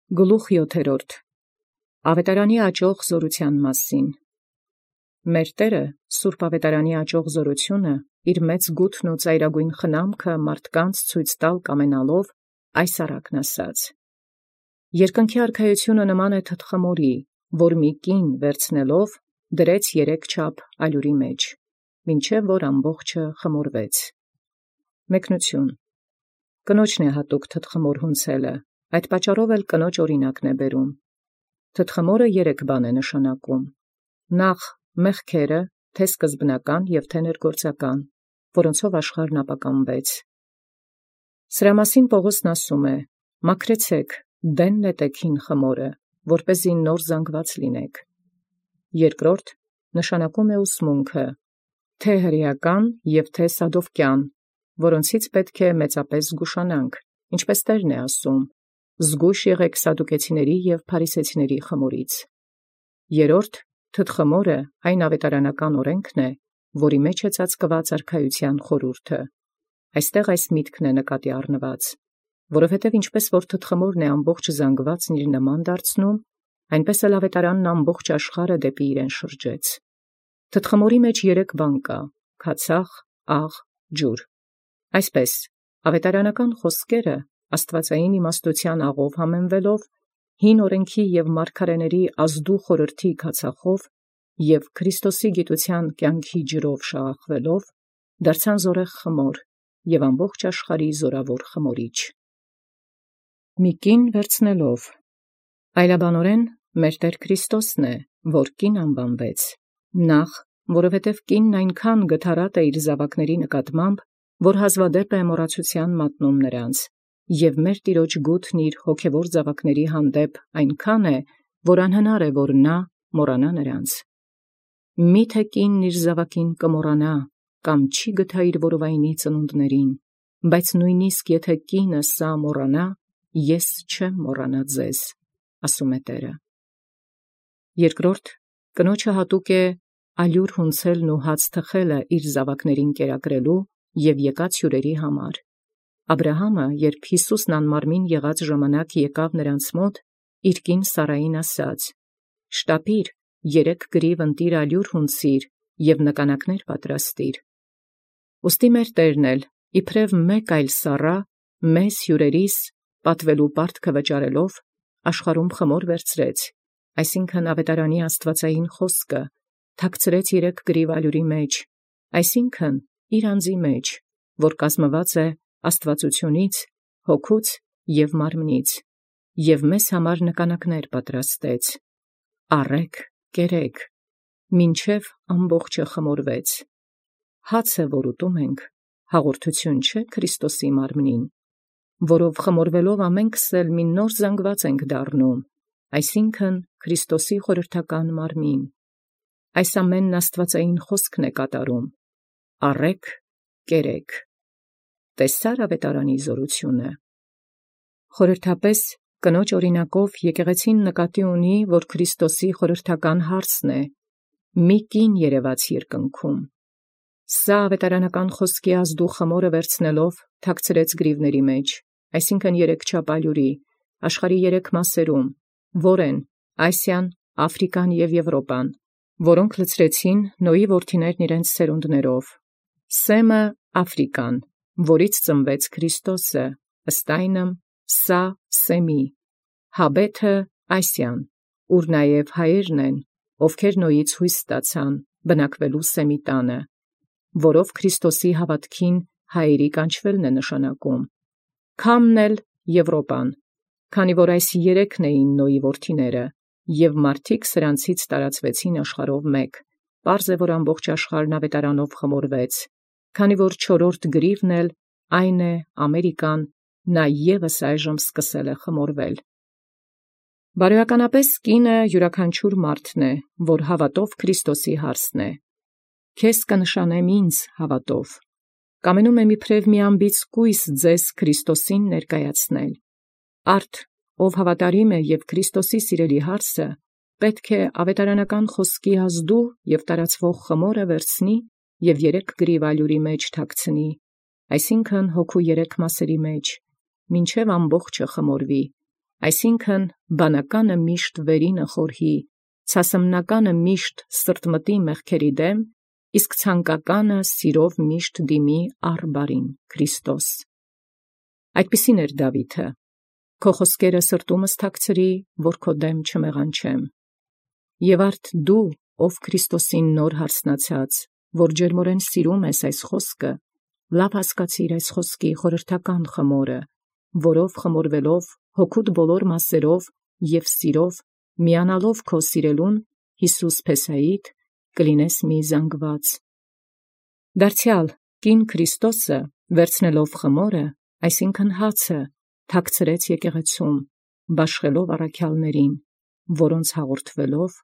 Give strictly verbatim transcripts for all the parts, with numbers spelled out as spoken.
Գլուխ յոթերորդ. Ավետարանի աճող զորութեան մասին։ Մեր Տէրը սուրբ ավետարանի աճող զորութիւնը իր մեծ գութն ու ծայրագոյն խնամքը մարդկանց ցույց տալ կամենալով այս առակն ասաց. Երկնքի արքայութիւնը նման է թթխմորի, որ մի կին վերցնելով դրեց երեք չափ ալյուրի մեջ, մինչև որ ամբողջը խմորվեց։ Մեկնություն. Կնոջն է հատուկ թթխմոր հունցելը, այդ պատճառով էլ կնոջ օրինակն է բերում։ Թթխմորը երեք բան է նշանակում. նախ մեղքերը, թե սկզբնական և թե ներգործական, որոնցով աշխարհն ապականվեց։ Սրա մասին Պողոսն ասում է. մաքրեցեք, դեն նետեք հին խմորը, որպեսզի նոր զանգված լինեք։ Երկրորդ նշանակում է ուսմունքը, թե հրեական և թե սադովկյան, որոնցից պետք է մեծապես զգուշանանք, ինչպես Տերն է ասում. զգույշ եղեք սադուկեցիների և փարիսեցիների խմորից։ Երորդ թթխմորը այն ավետարանական օրենքն է, որի մեջ է ծածկված արքայության խորհուրդը։ Այստեղ այս միտքն է նկատի առնված, որովհետև ինչպես որ թթխմորն է ամբողջ զանգվածն իր նման դարձնում, այնպես էլ ավետարանն ամբողջ աշխարհը դեպի իրեն շրջեց։ Թթխմորի մեջ երեք բան կա. քացախ, աղ, ջուր։ Այսպես, ավետարանական խոսքերը աստվածային իմաստութեան աղով համեմվելով, հին օրենքի և մարգարեների ազդու խորհրդի քացախով և Քրիստոսի գիտութեան կյանքի ջրով շաղախվելով, դարձան զորեղ խմոր և ամբողջ աշխարհի զորավոր խմորիչ։ Մի կին վերցնելով, այլաբանորեն մեր Տեր Քրիստոսն է, որ կին անուանվեց, նախ, որովհետև կինն այնքան գթառատ է իր զաւակների նկատմամբ, որ հազվադեպ է մոռացութեան մատնում նրանց, և մեր Տիրոջ գութն իր հոգևոր զաւակների հանդեպ այնքան է, որ անհնար է, որ նա մոռանա նրանց։ Մի՞թե կինն իր զաւակին կմոռանա, կամ չի գթա իր որովայնի ծնունդներին, բայց նույնիսկ եթէ կինը սա մոռանա, ես չեմ մոռանա ձեզ, ասում է Տէրը։ Երկրորդ, կնոջը հատուկ է ալյուր հունցելն ու հաց թխելը իր զաւակներին կերակրելու և եկած հյուրերի համար։ Աբրահամը, երբ Յիսուսն անմարմին եղած ժամանակ եկավ նրանց մոտ, իր կին Սարային ասաց. «Շտապիր, երեք գրիվ ընտիր ալյուր հունցիր և նկանակներ պատրաստիր»։ Ուստի մեր Տերն էլ, իբրև մեկ այլ Սառա, մեզ հյուրերիս պատվելու պարտքը վճարելով, աշխարհում խմոր վերցրեց, այսինքն ավետարանի աստվածային խոսքը, թաքցրեց երեք գրիվ ալյուրի մեջ, այսինքն իր անձի մեջ, որ կազմված է աստվածությունից, հոգուց և մարմնից, և մեզ համար նկանակներ պատրաստեց. առեք, կերեք, մինչև ամբողջը խմորվեց։ Հացը, որ ուտում ենք, հաղորդութիւն չէ Քրիստոսի մարմնին, որով խմորվելով ամենքս էլ մի նոր զանգված ենք դառնում, այսինքն Քրիստոսի խորհրդական մարմին։ Այս ամենն աստվածային խոսքն է կատարում. առեք, կերեք։ Տեսա՞ր ավետարանի զորութիւնը։ Խորհրդապես կնոջ օրինակով եկեղեցին նկատի ունի, որ Քրիստոսի խորհրդական հարցն է. մի կին երևաց երկնքում։ Սա ավետարանական խոսքի ազդու խմորը վերցնելով թաքցրեց գրիվների մեջ, այսինքն երեք չափ ալյուրի, աշխարհի երեք մասերում, որ են Ասիան, Աֆրիկան և Եվրոպան, որոնք լցրեցին Նոյի որդիներն իրենց սերունդներով։ Սեմը Աֆրիկան, որից ծնվեց Քրիստոսը, ըստ այնմ սա Սեմի, Հաբեթը Ասիան, ուր նաև հայերն են, ովքեր Նոյից հույս ստացան, բնակվելու Սեմի տանը, որով Քրիստոսի հաւատքին հայերի կանչվելն է նշանակում։ Քամն էլ Եվրոպան, քանի որ այս երեքն էին Նոյի որդիները, և մարդիկ սրանցից տարածվեցին աշխարհով մեկ, պարզ է, որ ամբողջ աշխարհն ավետարանով խմորվեց, քանի որ չորրորդ գրիվն էլ, այն է Ամերիկան, նա ևս այժմ սկսել է խմորվել։ Բարոյականապես կինը յուրաքանչյուր մարդն է, որ հաւատով Քրիստոսի հարսն է։ Քեզ կնշանեմ ինձ հաւատով։ Կամենում եմ իբրև մի անբիծ կույս ձեզ Քրիստոսին ներկայացնել։ Արդ, ով հավատարիմ է և Քրիստոսի սիրելի հարսը, պետք է ավետարանական խոսքի ազդու և տարածվող խմորը վերցնի և երեք գրիվ ալյուրի մեջ թաքցնի, այսինքն հոգու երեք մասերի մեջ, մինչև ամբողջը խմորվի, Այսինքն բանականը միշտ վերինը խորհի, ցասմնականը միշտ սրտմտի մեղքերի դեմ, իսկ ցանկականը սիրով միշտ դիմի առ բարին Քրիստոս։ Այդպիսին էր Դաւիթը. «Քո խոսքերը սրտումս թաքցրի, որ քո դեմ չմեղանչեմ»։ Եւ արդ դու, ով Քրիստոսին նոր հարսնացած, որ ջերմորեն սիրում ես այս խոսքը, լավ հասկացիր այս խոսքի խորհրդական խմորը, որով խմորվելով հոգուդ բոլոր մասերով և սիրով միանալով քո սիրելուն Յիսուս Փեսայիդ, կլինես մի զանգված։ Դարձեալ կին Քրիստոսը վերցնելով խմորը, այսինքն հացը, թաքցրեց եկեղեցում, բաշխելով առաքյալներին, որոնց հաղորդվելով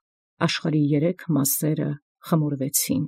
աշխարհի երեք մասսերը խմորվեցին։